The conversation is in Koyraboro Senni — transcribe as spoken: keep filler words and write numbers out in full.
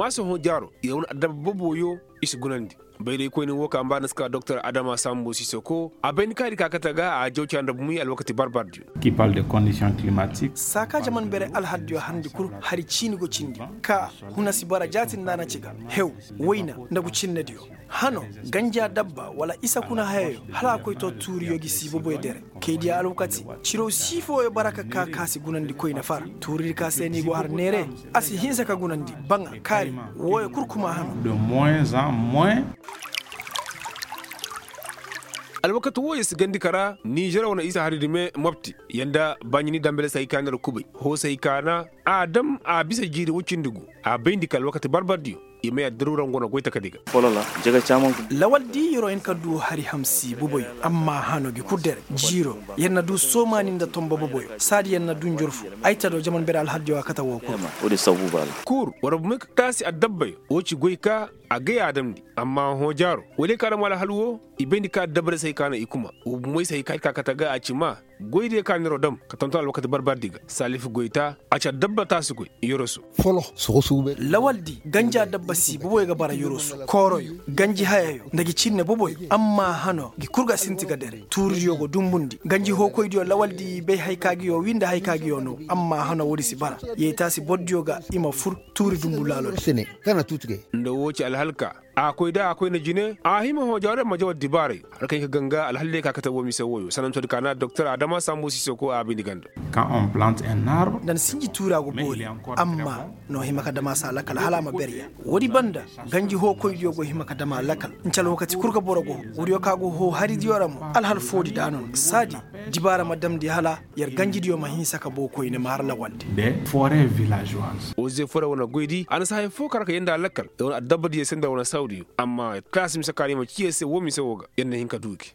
A si hõ jaaro, yer wane addabba boboyo, i si gunandi. Bayraykoyni wo kaŋ a mbaana si ka doktor adama sambo sisoko a bayndi kaari ka kate ga a jaw ci annabi muy alwakati barbardiyo. Saa ka jaman bere alhaldiyo harndi kul hari ciini go cindi, ka huna si bara jaati nda a na ci ga, hew, wayna, nda gucinnediyo, hano, ganja dabba wala isa kuna hayayo, hala a koy to tuuriyo gi si boboyo dere. Kaydiya alwakati, ciro sii fooyo bara ka ka ka si gunandi koyne fara. Tuuridi ka se no i go har neere, a si hinsa ka gunandi, baŋa, kaari, wooyo kul kuma hano. Alwakati wooyo si gandi kara nizer wane isa hari dime mopti, yanda baɲini dambele si hay ka neera kubay, hoo si hay ka na, a dam a bisa jiiri woy cindi gu. A bayndi ka alwakati barbardiyo, i may addaruura nga wane goy takadi ga. Lawal di yer'o hin ka du hari hamsi boboyo, amma hano gi kul dere, jiiro, yer na du soomaani nda tombo boboyo, saadi yer na du njorfu. Ay ta do jaman bere alhaldiyo a kate woo kul. Kul war bumey ka taasi addabbayo, woo ci goy ka, a gay a damndi. Amma hõ jaaro, woy day ka dam alhal woo, i bayndi ka addabbaray si hay ka na i kuma. Woo bumey si hay ka ir ka kate ga a ci maa, goy diyo ka neer'o dam ka tonton alwakati barbardi ga salifu goyta, a ci addabba taasi goy, yoroso. Lawal di, ganji addabba si boboyo ga bara yoroso, kooroyo, ganji hayayo nda gi cinne boboyo. Amma hano gi kul ga sinti ga dere, tuuridiyo go dumbundi ganji hookoydiyo lawal di i bay hay ka gi yoo wii nda hay ka gi yoo noo. Amma hano woodi si bara, yee taasi bordiyo ga i ma fur, tuuri dumbu laaloo di. Nda woo ci alhalka, a koy da a koyne jine a hima hõ jawarey ma jawar dibaarey. Har kaŋ i ka ganga alhal day ka kate woo mise wooyo sanantoodi ka na doktor adama sambu sisoko a bindi ganda. Nda ni sinji tuura go boori, amma n'o hima ka dam a se a lakal hala a ma berya. Woodi banda, ganji hookoydiyo go hima ka dam a lakal. Nci alwakati kul ga boro go, woodiyo ka go hoo haridiyo ra mo, alhal foodi da no no saadi, dibaara ma damndi hala, yer ganjidiyo ma hinsa ka boo koyne ma har lawalndi. Woo zeefore wane goydi a na si haya foo kar ka yee nda a lakal, yer wane addabbadiyo se nda wane sawdiyo. Amma yer taasi mise kaŋ a na i ma cii yer se woo mise woo ga yer na hin ka duu gi.